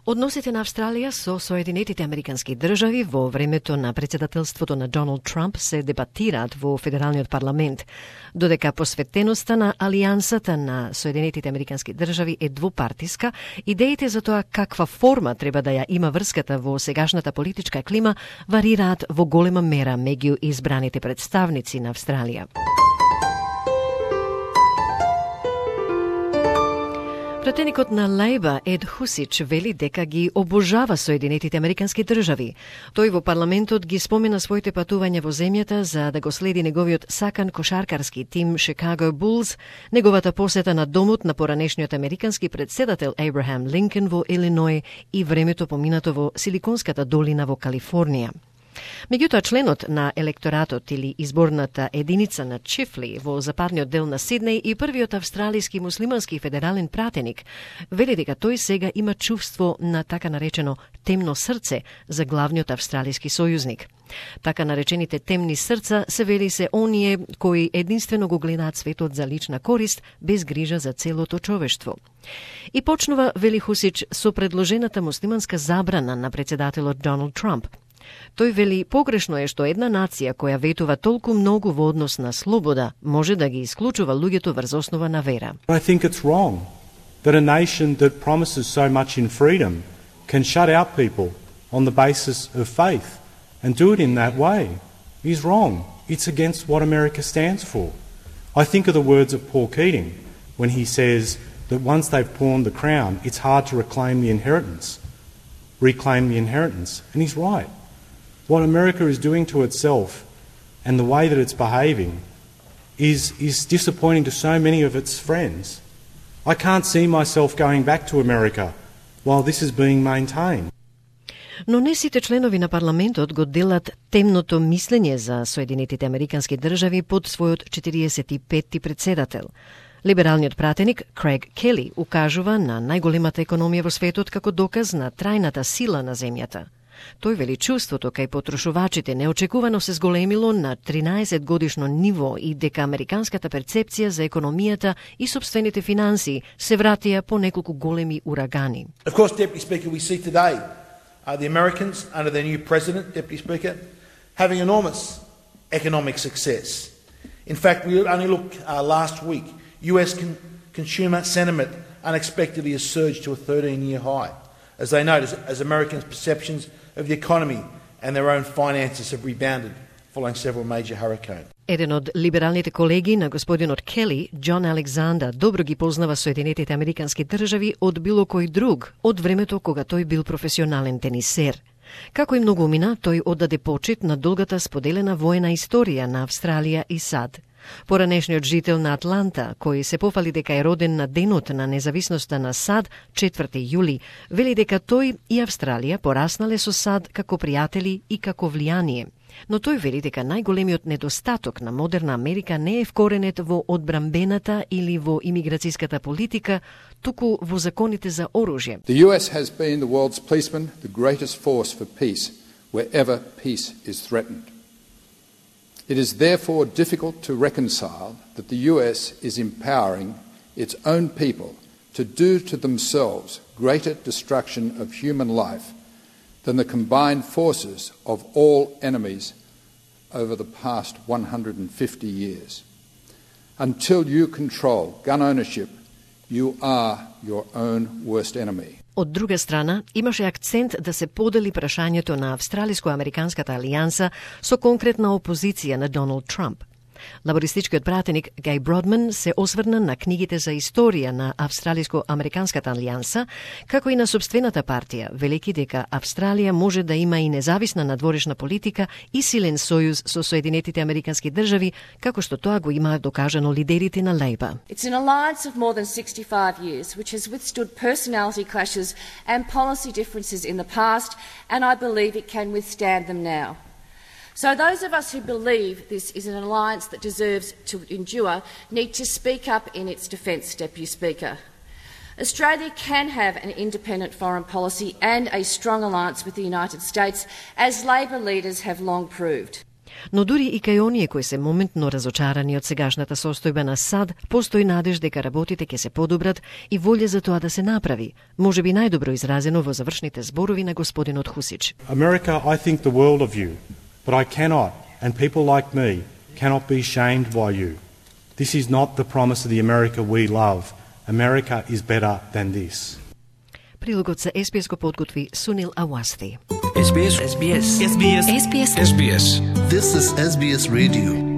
Односите на Австралија со Соединетите Американски држави во времето на председателството на Доналд Трамп се дебатираат во Федералниот парламент, додека посветеноста на алијансата на Соединетите Американски држави е двупартиска, идеите за тоа каква форма треба да ја има врската во сегашната политичка клима варираат во голема мера меѓу избраните представници на Австралија. Пратеникот на Лејба Ед Хусич вели дека ги обожава Соединетите Американски држави. Тој во парламентот ги спомена своите патувања во земјата за да го следи неговиот сакан кошаркарски тим Chicago Bulls, неговата посета на домот на поранешниот американски претседател Абрахам Линколн во Илиној и времето поминато во Силиконската долина во Калифорнија. Меѓутоа, членот на електоратот или изборната единица на Чифли во западниот дел на Сиднеј и првиот австралиски муслимански федерален пратеник вели дека тој сега има чувство на така наречено темно срце за главниот австралиски сојузник. Така наречените темни срца се вели се оние кои единствено го гледаат светот за лична корист, без грижа за целото човештво. И почнува, вели Хусич, со предложената муслиманска забрана на председателот Доналд Трамп. Тој вели погрешно е што една нација која ветува толку многу во однос на слобода може да ги исклучува луѓето врз основа на вера. I think it's wrong that a nation that promises so much in freedom can shut out people on the basis of faith and do it in that way. Is wrong. It's against what America stands for. I think of the words of Paul Keating when he says that once they've pawned the crown, it's hard to reclaim the inheritance. And he's right. What America is doing to itself and the way that it's behaving is disappointing to so many of its friends. I can't see myself going back to America while this is being maintained. Но не сите членови на парламентот го делат темното мислење за Соединетите Американски држави под својот 45-ти председател. Либералниот пратеник Крейг Кели укажува на најголемата економија во светот како доказ на трајната сила на земјата. Тој вели чувството кај потрошувачите неочекувано се зголемило на 13 годишно ниво и дека американската перцепција за економијата и сопствените финанси се вратија по неколку големи урагани. Of course, Deputy Speaker, we see today the Americans under their new president, Deputy Speaker, having enormous economic success. In fact, we only look last week, US consumer sentiment unexpectedly has surged to a 13-year high, as they note, as Americans' perceptions of the economy and their own finances have rebounded following several major hurricanes. Еден од либералните колеги на господинот Кели, Џон Александер, добро ги познава Соединетите Американски држави од било кој друг, од времето кога тој бил професионален тенисер. Како и многумина, тој оддаде почит на долгата споделена воена историја на Австралија и САД. Поранешниот жител на Атланта, кој се пофали дека е роден на денот на независноста на САД, 4 јули, вели дека тој и Австралија пораснале со САД како пријатели и како влијание. Но тој вели дека најголемиот недостаток на модерна Америка не е вкоренет во одбрамбената или во имиграцијската политика, туку во законите за оружје. The US has been the world's policeman, the greatest force for peace, wherever peace is threatened. It is therefore difficult to reconcile that the US is empowering its own people to do to themselves greater destruction of human life than the combined forces of all enemies over the past 150 years. Until you control gun ownership, you are your own worst enemy. Од друга страна, имаше акцент да се подели прашањето на Австралиско-Американската алијанса со конкретна опозиција на Доналд Трамп. Лабористичкиот пратеник Гај Бродман се осврна на книгите за историја на Австралиско-Американската алијанса, како и на собствената партија, велики дека Австралија може да има и независна надворешна политика и силен сојуз со Соединетите Американски држави, како што тоа го имаат докажано лидерите на Лејба. It's an alliance of more than 65 years, which has withstood personality clashes and policy differences in the past, and I believe it can withstand them now. So those of us who believe this is an alliance that deserves to endure need to speak up in its defence, Deputy Speaker. Australia can have an independent foreign policy and a strong alliance with the United States, as Labor leaders have long proved. Но дури и кај оние кои се моментно разочарани од сегашната состојба на САД, постои надеж дека работите ќе се подобрат и волја за тоа да се направи, можеби најдобро изразено во завршните зборови на господинот Хусич. America, I think the world of you, but I cannot, and people like me, cannot be shamed by you. This is not the promise of the America we love. America is better than this. Прилогот за SBS го подготви Сунил Ауасти. SBS. SBS. SBS. SBS. SBS. This is SBS Radio.